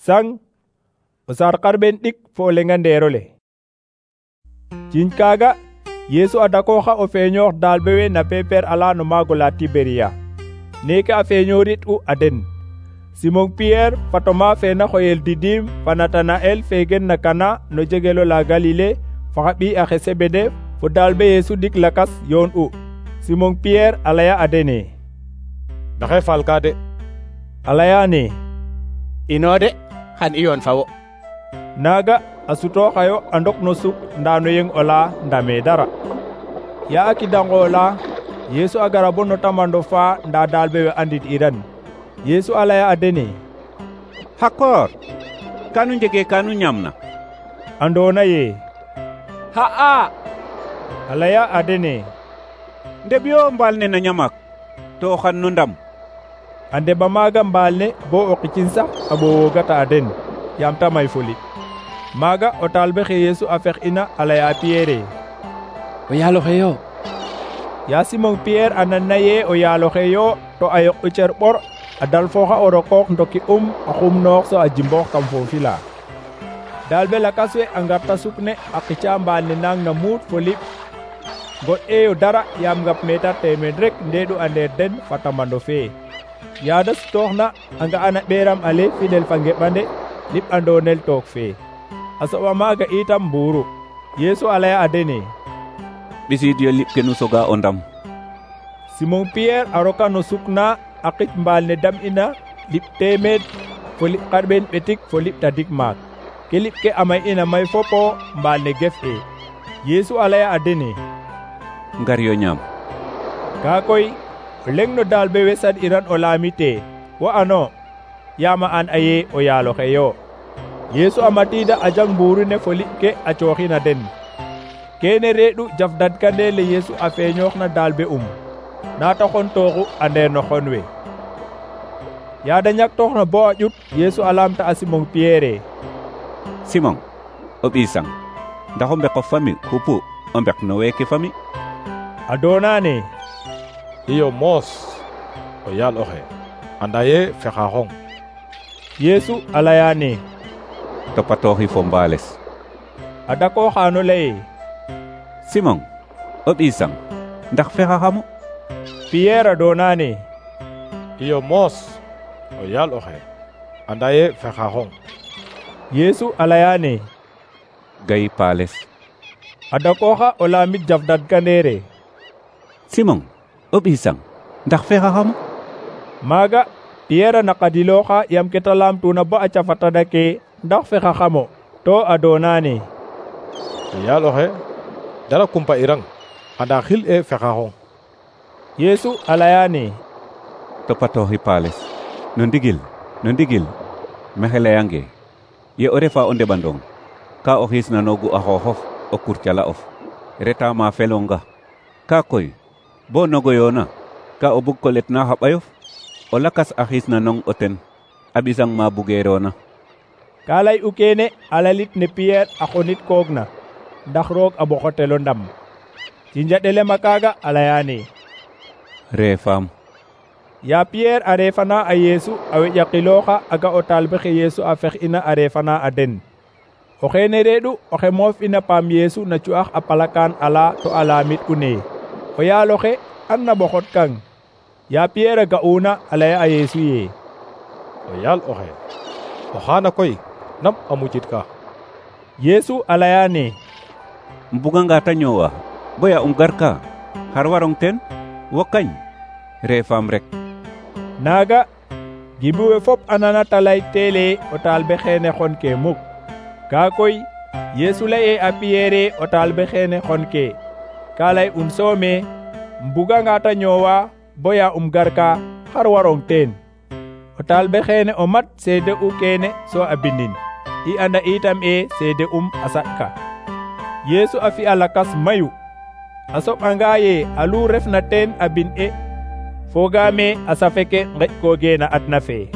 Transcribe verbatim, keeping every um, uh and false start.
sang o sar qarben ɗik fo o lenga nderole. Ciñ kaga Yesu a dakooxa o feeñoox dalbe we na peper ala no maago la Tiberiya. Neke a feeñoorit u a den: Simon Pierre fa Toma fe na xoyel Didim fa Natanael fe gen na Kana no jegelo la Galile fa xa ɓiy axe Sebede fo dalbe Yesu ɗik lakas yoon u. Simon Pierre a laya a dene: Maxey falka de. A layane: Ino de, xan i yoon fa wo. Naga a sutooxayo a ndok no suk ndano yeng ola ndame dara. Ya a kidangola Yesu a gara bo no tamando fa nda dalbe we andit iran. Yesu a laya a dene: Xakor, kanu njege kanu ñamna? Andona ye: Xa'a. A laya a dene: Ndeb yo mbaal ne na ñamak to xan no ndam. A ndeba maaga mbaal ne bo o qicin sax a ɓoowogata a den yaam ta may foli. Maaga o talbe xe Yesu a fex ina a laya Pierre: O yaaloxe yo. Ya Simon Pierre a nanna ye o yaaloxe yo to a yoq u cer ɓor a dal fooxa o rokoox ndoki um a xum noox so a jimboox kam foofi la. Dalbe lakas we a ngarta suk ne a qica mbaal ne nang na muut fo liɓ. God eyo dara yaam ngap meetar teemed rek ndeeɗu a ndeer den fa tamando fee. Yaada sutooxna a nga'ana ɓeeram ale fidel fa ngeɓande liɓ andonel took fee. A soɓa maaga itam mbuuru. Yesu a laya a dene: Ɓisiid yo liɓ ke nu soga o ndam. Simon Pierre a roka no suk na a qic mbaal ne dam ina liɓ teemed fo liɓ qarɓen ɓetik fo liɓ tadik maak. Ke liɓ ke a may ina may fopo mbaal ne gef e. Yesu a laya a dene: Ngar yo ñaam. Kaa koy o leng no dalbe we sad iran o laamite: Wo ano, yaama an a ye o yaaloxe yo. Yesu a matiida a jang mbuuru ne fo liɓ ke a cooxina den. Kene reeɗu jaf dadkandele Yesu a feeñoox na dalbe um naata xon tooxu a ndeer no xon we. Yaada ñaktooxna bo a ƴut Yesu a laamta a Simon Pierre: Simon, o ɓiy sang, ndax o mbeko fami xupu o mbek no weeke fami? A doonane: Iyo moos o yaal oxe anda ye fexaxong. Yesu a layane: Topatooxi fo mbaales. A dakooxano laye: Simon, o ɓiy sang, ndax fexaxamo? Pierre a doonane: Iyo moos o yaal oxe anda ye fexaxong. Yesu a layane: Gay paales. A dakooxa o laamit jaf dadkandeere: Simon, o ɓiy sang, ndax fexaxamo? Maaga Pierre a naqadilooxa yam ke ta laamtuna bo a cafatada ke ndax fexaxamo to a doonane: Yaal oxe dara kumpa irang anda xil e fexaxong. Yesu a layane: Topatooxi paales. No ndigil, no ndigil, maxey layange ye o refa o ndeɓandong ka o xiisnanoogu a xooxof o kurcala of reta ma felonga. Ka koy bo nogoyoona ka o bug ko letna xa ɓayof o lakas a xiisnanong o ten a ɓisang ma bugeerona. Ka lay u kene a lalit ne Pierre a xonit koogna ndax roog a ɓoxotelo ndam. Cinjaɗelema kaaga a layane: Reefaam. Ya Pierre a reefana a Yesu a weƴakilooxa a ga o talbe xe Yesu a fex ina a reefana a den. O xeene reeɗu oxe moof ina paam Yesu na cu'ax a palakaan ala to a laamit u ne: O yaaloxe an na ɓoxot kang. Ya Pierre a ga'una a laya a Yesu ye: O yaal oxe o xaana koy nam a mucit ka. Yesu a layane: Mbuganga ta ñoowa boya um garka xar warong teen? Wo kañ reefaam rek. Naaga gimbi we fop a nana ta lay teele o talbe xeene xon ke muk. Kaa koy Yesu laye a Pierre o talbe xeene xon ke. Ka lay un soome: Mbuganga ta ñoowa boya um garka xar warong teen? O talbe xeene o mat seede u kene so a bindin. I anda itam e seede um a saɗka. Yesu a fi'a lakas mayu. A soɓanga ye alu refna teen a bin e fogaame a safe ke ngeƴ ko geena adna fe.